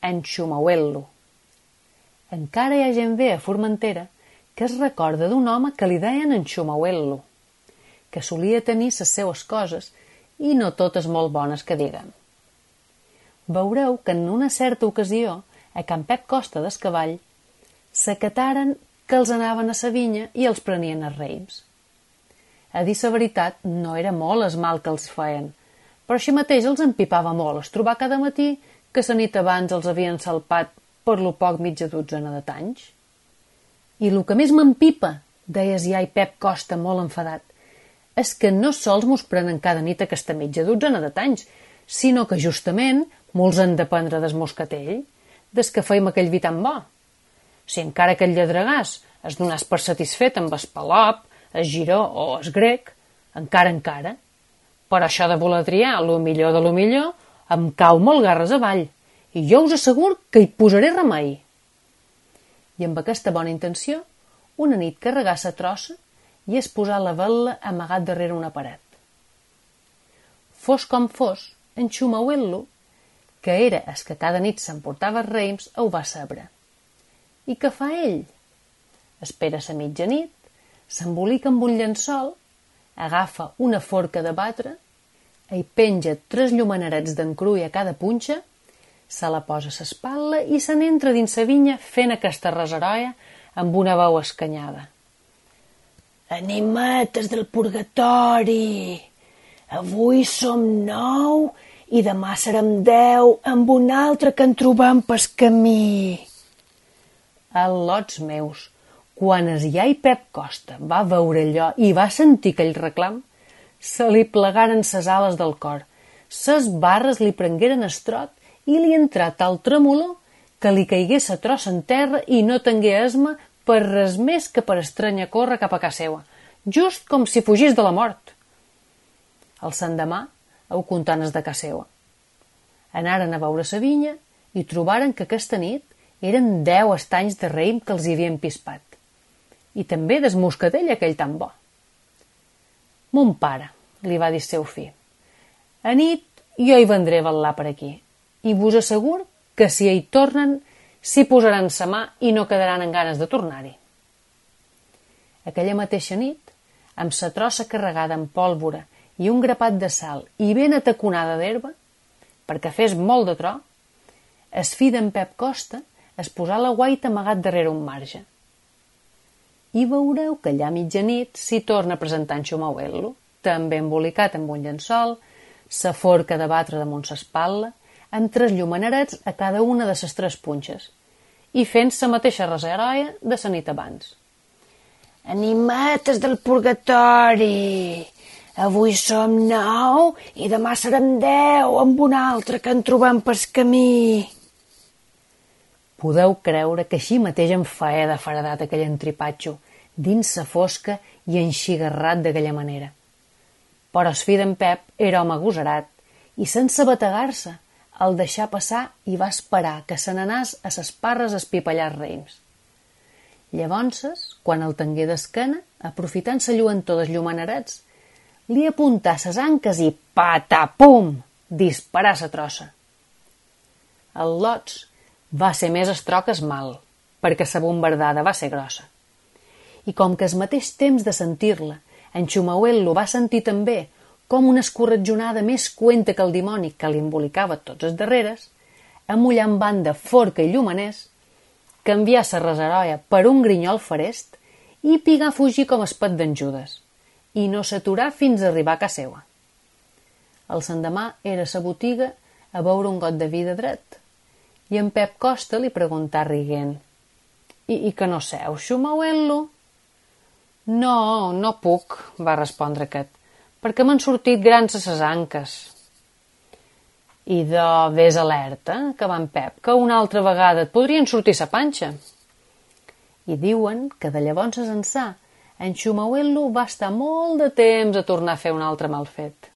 en Xumauel·lo. Encara hi ha gent bé a Formentera que es recorda d'un home que li deien en Xumauel·lo, que solia tenir les seues coses i no totes molt bones que diguem. Veureu que en una certa ocasió, a Can Pep Costa d'Escavall, s'acataren que els anaven a sa vinya i els prenien a raïms. A dir la veritat, no era molt el mal que els feien, però així mateix els empipava molt es trobar cada matí que la nit abans els havien salpat per lo poc mitja dotzena de tanys. I lo que més m'empipa, deia iai Pep Costa molt enfadat, és que no sols mos prenen cada nit aquesta mitja dotzena de tanys, sinó que justament molts han de prendre des moscatell, des que feim aquell vi tan bo. Si encara aquell lladregàs es donàs per satisfet amb el palop, el giró o el grec, encara. Però això de voler triar lo millor de lo millor em cau molt garres avall, i jo us asseguro que hi posaré remei. I amb aquesta bona intenció, una nit carregà sa trossa i es posà la vetla amagat darrere una paret. Fos com fos, en Xumauel·lo, que era el que cada nit s'emportava raïms, ho va saber. I què fa ell? Espera sa mitjanit, s'embolica amb un llençol, agafa una forca de batre, hi penja 3 llumenarets d'encrull a cada punxa, se la posa a l'espatlla i se n'entra dins sa vinya fent aquesta reseroia amb una veu escanyada. Animetes del purgatori! Avui som 9 i demà serem 10 amb un altre que en trobam pel camí. Al·lots meus, quan el iai Pep Costa va veure allò i va sentir aquell reclam, se li plegaren ses ales del cor, ses barres li prengueren estrot i li entrà tal tremolor que li caigué sa trossa en terra i no tingué esma per res més que per estranya córrer cap a casa seua, just com si fugís de la mort. El sendemà, ho contanes de casa seua. Anaren a veure sa vinya i trobaren que aquesta nit eren 10 estanys de raïm que els hi havien pispat. I també des moscatell aquell tan bo. Mon pare, li va dir seu fill, a nit jo hi vendré a vetlar per aquí, i vos assegur que si hi tornen s'hi posaran sa mà i no quedaran en ganes de tornar-hi. Aquella mateixa nit, amb sa trossa carregada amb pólvora i un grapat de sal i ben ataconada d'herba, perquè fes molt de tro, el fill d'en Pep Costa es posà la guaita amagat darrere un marge. I veureu que allà a mitjanit s'hi torna a presentar en Xumauel·lo, també embolicat amb un llençol, sa forca de batre damunt s'espatlla, amb 3 llumenarets a cada una de ses 3 punxes, i fent sa mateixa reseroia de sa nit abans. Animetes del purgatori! Avui som 9 i demà serem 10 amb un altre que en trobam pel camí. Podeu creure que així mateix em feia de faradat aquell entripatxo, dins sa fosca i enxigarrat d'aquella manera. Però el fill d'en Pep era home agosarat i, sense bategar-se, el deixà passar i va esperar que se n'anàs a ses parres a espipallar raïms. Llavors, quan el tengué d'esquena, aprofitant sa lluentor dels llumenarets, li apuntà ses anques i patapum! Disparà sa trossa. El lots va ser més estro que es mal, perquè sa bombardada va ser grossa. I com que al mateix temps de sentir-la, en Xumauel·lo va sentir també com una escorretjonada més cuenta que el dimoni que li embolicava tots els darreres, amullant banda forca i llumaners, canvià sa reseroia per un grinyol farest i pigà a fugir com es pet d'en Judes, i no s'aturà fins a arribar a casa seua. El sendemà era a sa botiga a beure un got de vi de dret, i en Pep Costa li preguntà riguent: I que no seu, Xumauel·lo? No, no puc, va respondre aquest, perquè m'han sortit grans a ses anques. I vés alerta, que va en Pep, que una altra vegada et podrien sortir sa panxa. I diuen que de llavors ençà en Xumauel·lo va estar molt de temps a tornar a fer un altre mal fet.